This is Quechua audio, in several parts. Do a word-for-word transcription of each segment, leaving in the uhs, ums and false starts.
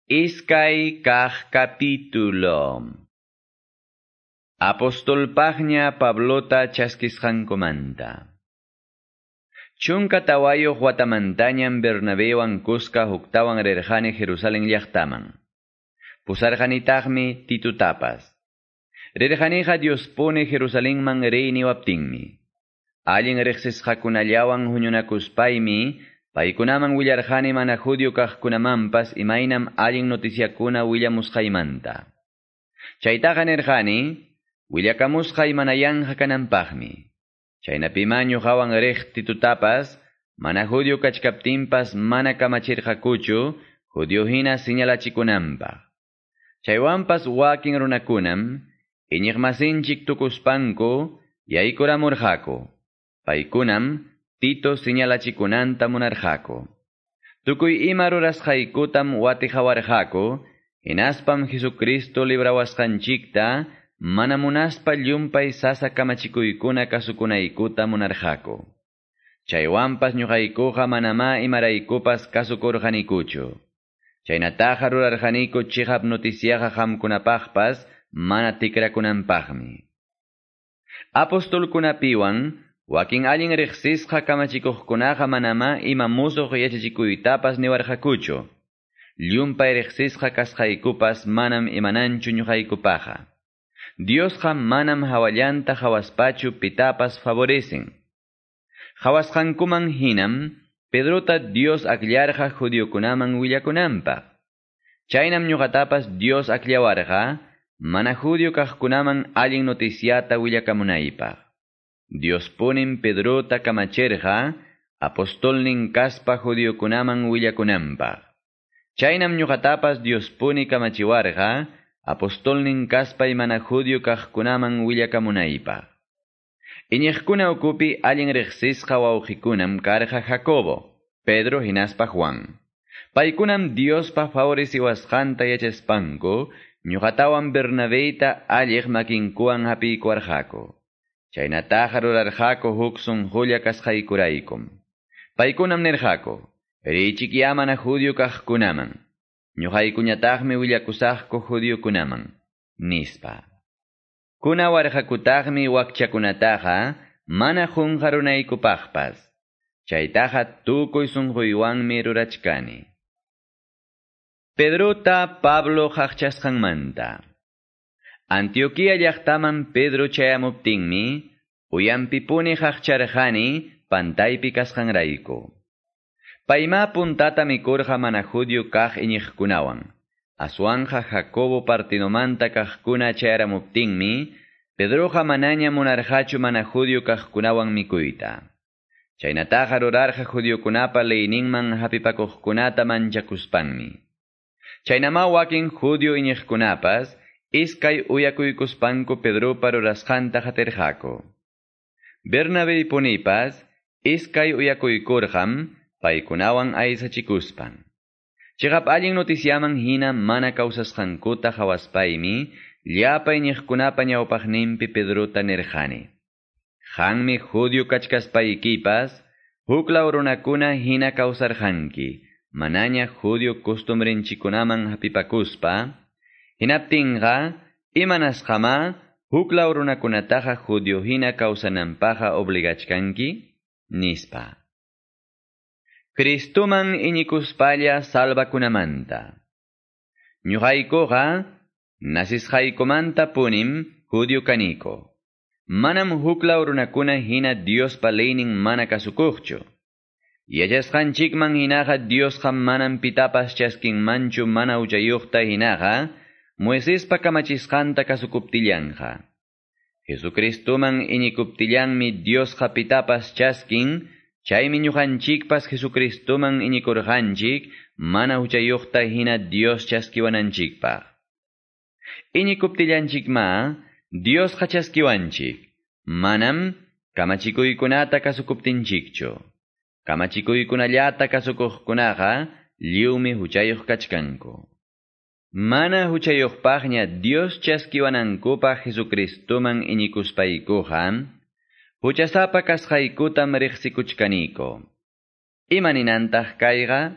Iskay kaq capítulo. Apostolpaqña Pablota chaskisqankumanta. Chunka tawayuq watamantañam Bernabewan kuska huktawan rirqani Jerusalén llaqtaman. Pusarqanitaqmi Titutapas. Rirqaniqa Diospuni Jerusalenman riy niwaptinmi. Allin riqsisqakunallawan huñunakuspaymi paykunaman willarqani mana judío kaqkunamanpas imaynam allin noticiakuna willamusqaymanta. Chaytaqa nirqani, willakamusqay mana yanqa kananpaqmi. Chaynapima ñuqawan riq Titutapas, mana judío kachkaptinpas mana kamachirqakuchu, judío hina señalachikunanpaq. Chaywanpas wakin runakunam, iñiqmasinchik tukuspanku, yaykuramurqaku. Paykunam, Tito señalachikunanta munarqaku. Tukuy ima rurasqaykutam watiqawarqaku, hinaspam Jesucristo librawasqanchikta, mana munaspa llumpay sasa kamachikuykuna kasukunaykuta munarqaku. Chaywanpas ñuqaykuqa manamá imaraykupas kasukurqanikuchu. Chaynataqa rurarqaniku chiqap noticiaqa qamkunapaqpas mana tikrakunanpaqmi. Apostolkunapiwan wakin allin riqsisqa kamachikuqkunaqa manamá ima musuq yachachikuytapas niwarqakuchu. Llumpay riqsisqa kasqaykupas manam imananchu ñuqaykupaqa. Diosqa manam hawallanta hawaspachu pitapas favorecen. Hawasqankuman hinam Pedrota Dios akllarqa judiokunaman willakunanpaq. Chaynam ñuqatapas Dios akllawarqa mana judío kaqkunaman allin noticiata willakamunaypaq. Dios punim Pedrota kamachirqa apostolnin kaspa judiokunaman willakunanpaq. Chaynam ñuqatapas Dios puni kamachiwarqa apostolnin kaspay mana judío kaqkunaman willakamunaypaq. Iñiqkuna ukupi allin riqsisqa wawqikunam karqa Jacobo, Pedro hinaspa Juan. Paykunam Diospa favoreciwasqanta yachaspanku, ñuqatawan Bernabeyta alliq makinkuwan hapiykuwarqaku. Chaynataqa rurarqaku huk sunqulla kasqaykuraykum. Paykunam nirqaku, riychikyá mana judío kaqkunaman. Ñuqaykuñataqmi willakusaqku judiokunaman, nispa. Kunawarqakutaqmi wakchakunataqa mana qunqarunaykupaqpas. Chaytaqa tukuy sunquywanmi rurachkani. Pedrota Pablo qaqchasqanmanta. Antioquia llaqtaman Pedro chayamuptinmi, uyanpipuni qaqcharqani pantaypi kasqanrayku. Payma puntata mikurqa mana judío kaq iñiqkunawan. Aswanja Jacobo partinomanta kaqkuna chayaramuptinmi, Pedroqa manaña munarqachu mana judío kaqkunawan mikuyta. Chaynataqa rurarqa judiokunapa leyninman hapipakuqkunata manchakuspanmi. Chaynama wakin judío iñiqkunapas, iskay uyakuykuspanku Pedropa rurasqanta qatirqaku. Bernabé punipas, iskay uyakuykurqam, paykunawan aysachikuspan. Chiqap allin noticiaman hina mana kawsasqankuta hawaspaymi, llapa iñiqkunapa ñawpaqninpi Pedrota nirqani. Qanmi judío kachkaspaykipas, huklaw runakuna hina kawsarqanki, manaña judío costumbrenchikunaman hapipakuspa, hinaptinqa, imanasqamá, huklaw runakunataqa judío hina kawsananpaqa obligachkanki, nispa. Cristoman iñikuspalla salvakunamanta. Ñuqaykuqa, nasisqaykumanta punim judío kaniko. Manam huklaw runakuna hina Diospa leynin mana kasukuqchu. Yachasqanchikman hinaqa Diosqa manam pitapas chaskinmanchu mana huchayuqta hinaqa, Moisespa kamachisqanta kasukuptillanqa. Jesucristoman iñikuptillanmi Diosqa pitapas chaskin, chaymi ñuqanchikpas Jesucristoman iñikurqanchik, mana huchayuqta hina Dios chaskiwananchikpaq. Iñikuptillanchikma, Diosqa chaskiwanchik, manam kamachikuykunata kasukuptinchikchu. Kamachikuykunallata kasukuqkunaqa lliwmi huchayuq kachkanku. Mana huchayuqpaqña Dios chaskiwanankupaq Jesucristoman iñikuspaykuqa, huchasapa kasqaykutam riqsikuchkaniko. Ima ninantaq kayqa?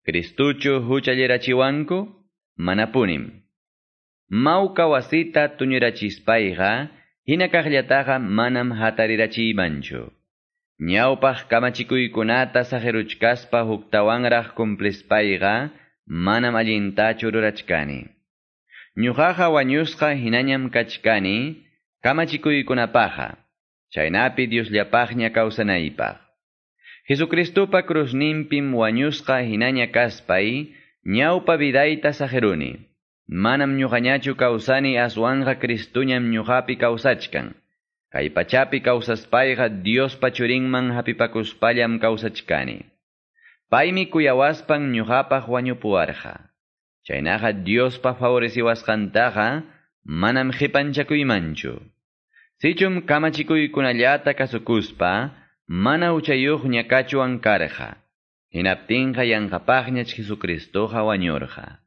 Cristuchu huchallirachiwanku? Manapunim. Mawka wasita tuñurachispayqa, hina kaqllataqa manam hatarirachiymanchu. Ñawpaq kamachikuykunata saqiruchkaspa huktawanraq cumplispayqa, manam allintachu rurachkani. Ñuqaqa wañusqa hinañam kachkani, kamachikuykunapaqa, chaynapi Diosllapaqña kawsanaypaq. Jesucristupa cruzninpim wañusqa hinaña kaspay, ñawpa vidayta saqiruni. Manam ñuqañachu kawsani aswanqa Cristuñam ñuqapi kawsachkan. Kay pachapi kawsaspayqa Diospa churinman hapipakuspallam kawsachkani. Paymi kuyawaspan ñuqapaq wañupuwarqa. Chaynaqa Diospa favoreciwasqantaqa manam qipanchakuymanchu. Sichum kamachikuykunallata kasukuspa, mana huchayuqña kachuwan karqa. Hinaptinqa yanqapaqñach Jesucristoqa wañurqa.